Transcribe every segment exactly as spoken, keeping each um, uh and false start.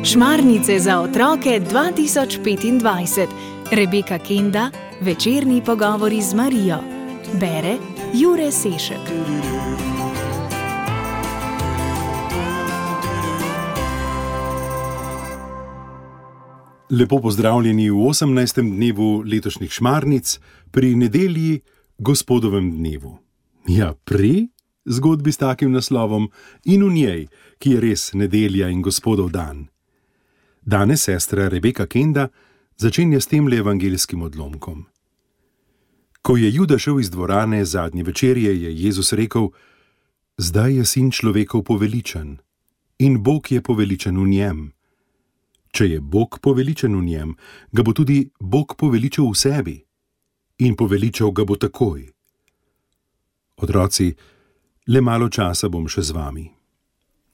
Šmarnice za otroke dva tisoč petindvajset. Rebeka Kenda, večerni pogovori z Marijo. Bere Jure Sešek. Lepo pozdravljeni v osemnajstem dnevu letošnjih šmarnic pri nedelji Gospodovem dnevu. Ja, pri zgodbi s takim naslovom in v njej, ki je res nedelja in Gospodov dan. Danes sestra Rebeka Kenda začenja s temle evangelskim odlomkom. Ko je Juda šel iz dvorane zadnje večerje, je Jezus rekel: zdaj je sin človekov poveličan in Bog je poveličan v njem. Če je Bog poveličan v njem, ga bo tudi Bog poveličal v sebi in poveličal ga bo takoj. Otroci, le malo časa bom še z vami.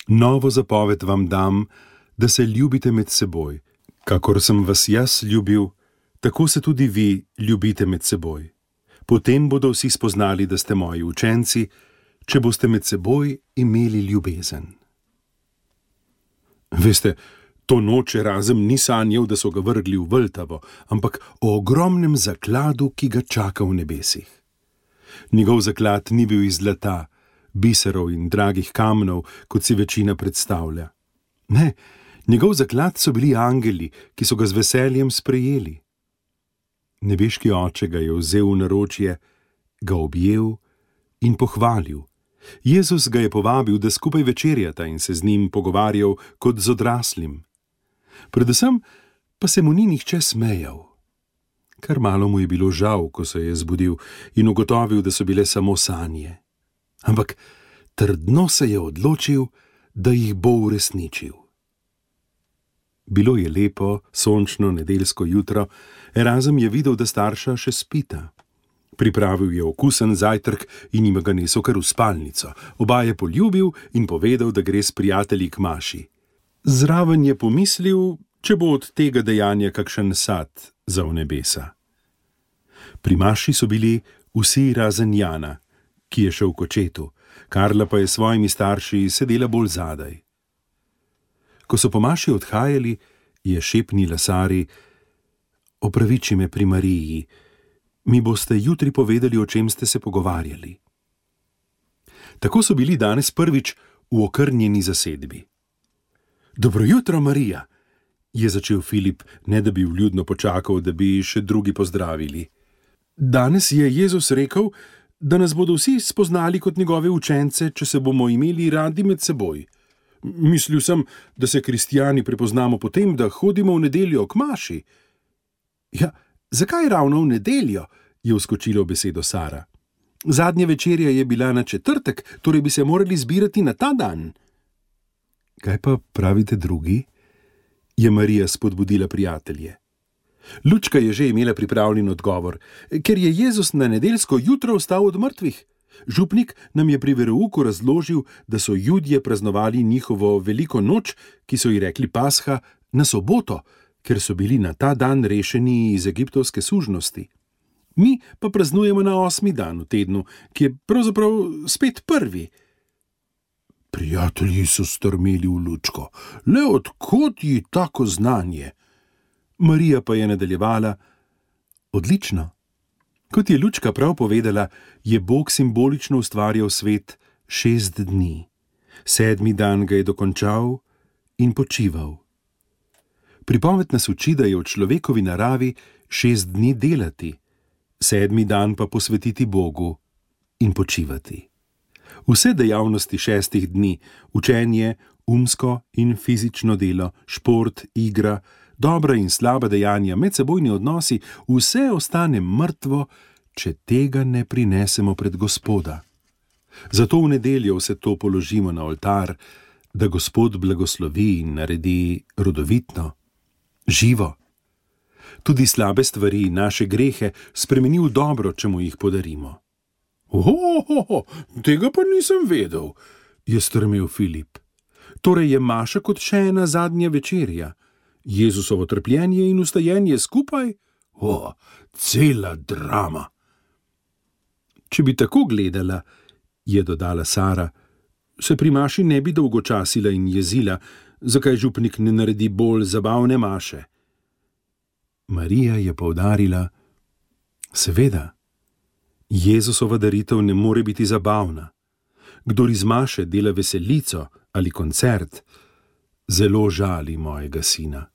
Novo zapoved vam dam, da se ljubite med seboj. Kakor sem vas jaz ljubil, tako se tudi vi ljubite med seboj. Potem bodo vsi spoznali, da ste moji učenci, če boste med seboj imeli ljubezen. Veste, to noč Erazem ni sanjal, da so ga vrgli v Vltavo, ampak o ogromnem zakladu, ki ga čaka v nebesih. Njegov zaklad ni bil iz zlata, biserov in dragih kamnov, kot si večina predstavlja. Ne, njegov zaklad so bili angeli, ki so ga z veseljem sprejeli. Nebeški oče ga je vzel v naročje, ga objel in pohvalil. Jezus ga je povabil, da skupaj večerjata in se z njim pogovarjal kot z odraslim. Predvsem pa se mu ni nihče smejal. Kar malo mu je bilo žal, ko se je zbudil in ugotovil, da so bile samo sanje. Ampak trdno se je odločil, da jih bo uresničil. Bilo je lepo, sončno nedeljsko jutro, Erazem je videl, da starša še spita. Pripravil je okusen zajtrk in jim ga nesel kar v spalnico. Oba je poljubil in povedal, da gre s prijatelji k maši. Zraven je pomislil, če bo od tega dejanja kakšen sad za v nebesa. Pri maši so bili vsi razen Jana, ki je šel k očetu, Karla pa je s svojimi starši sedela bolj zadaj. Ko so po maši odhajali, je šepnila Sari: opraviči me pri Mariji, mi boste jutri povedali, o čem ste se pogovarjali. Tako so bili danes prvič v okrnjeni zasedbi. Dobro jutro, Marija, je začel Filip, ne da bi vljudno počakal, da bi še drugi pozdravili. Danes je Jezus rekel, da nas bodo vsi spoznali kot njegove učence, če se bomo imeli radi med seboj. Mislil sem, da se kristjani prepoznamo po tem, da hodimo v nedeljo k maši. Ja, zakaj ravno v nedeljo, je vskočila v besedo Sara. Zadnja večerja je bila na četrtek, torej bi se morali zbirati na ta dan. Kaj pa pravite drugi? Je Marija spodbudila prijatelje. Lučka je že imela pripravljen odgovor, ker je Jezus na nedeljsko jutro vstal od mrtvih. Župnik nam je pri verouku razložil, da so Judje praznovali njihovo veliko noč, ki so ji rekli Pasha, na soboto, ker so bili na ta dan rešeni iz egiptovske sužnosti. Mi pa praznujemo na osmi dan v tednu, ki je pravzaprav spet prvi. Prijatelji so strmeli v Lučko. Le od kod ji tako znanje? Marija pa je nadaljevala: odlično. Kot je Lučka prav povedala, je Bog simbolično ustvarjal svet šest dni. Sedmi dan ga je dokončal in počival. Pripoved nas uči, da je v človekovi naravi šest dni delati, sedmi dan pa posvetiti Bogu in počivati. Vse dejavnosti šestih dni, učenje, umsko in fizično delo, šport, igra, dobra in slaba dejanja, medsebojni odnosi, vse ostane mrtvo, če tega ne prinesemo pred Gospoda. Zato v nedeljo vse to položimo na oltar, da Gospod blagoslovi in naredi rodovitno, živo. Tudi slabe stvari, naše grehe, spremeni v dobro, če mu jih podarimo. Ohohoho, tega pa nisem vedel, je strmel Filip. Torej je maša kot še ena zadnja večerja. Jezusovo trpljenje in vstajenje skupaj? O, cela drama. Če bi tako gledala, je dodala Sara, se pri maši ne bi dolgočasila in jezila, zakaj župnik ne naredi bolj zabavne maše. Marija je poudarila, seveda, Jezusova daritev ne more biti zabavna. Kdor iz maše dela veselico ali koncert, zelo žali mojega sina.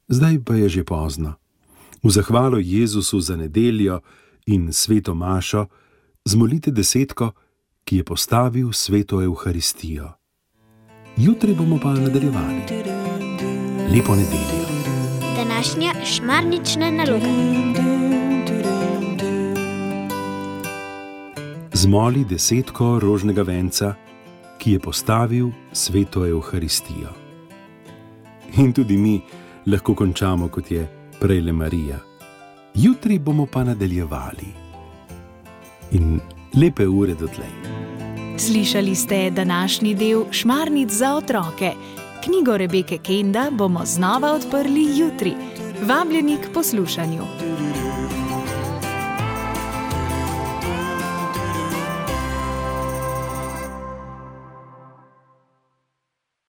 Zdaj pa je že pozno. V zahvalo Jezusu za nedeljo in sveto mašo zmolite desetko, ki je postavil sveto Evharistijo. Jutri bomo pa nadaljevali. Lepo nedeljo. Današnja šmarnična naloga. Zmoli desetko rožnega venca, ki je postavil sveto Evharistijo. In tudi mi lahko končamo, kot je prejle Marija. Jutri bomo pa nadaljevali. In lepe ure dotlej. Slišali ste današnji del Šmarnic za otroke. Knjigo Rebeke Kenda bomo znova odprli jutri. Vabljeni k poslušanju.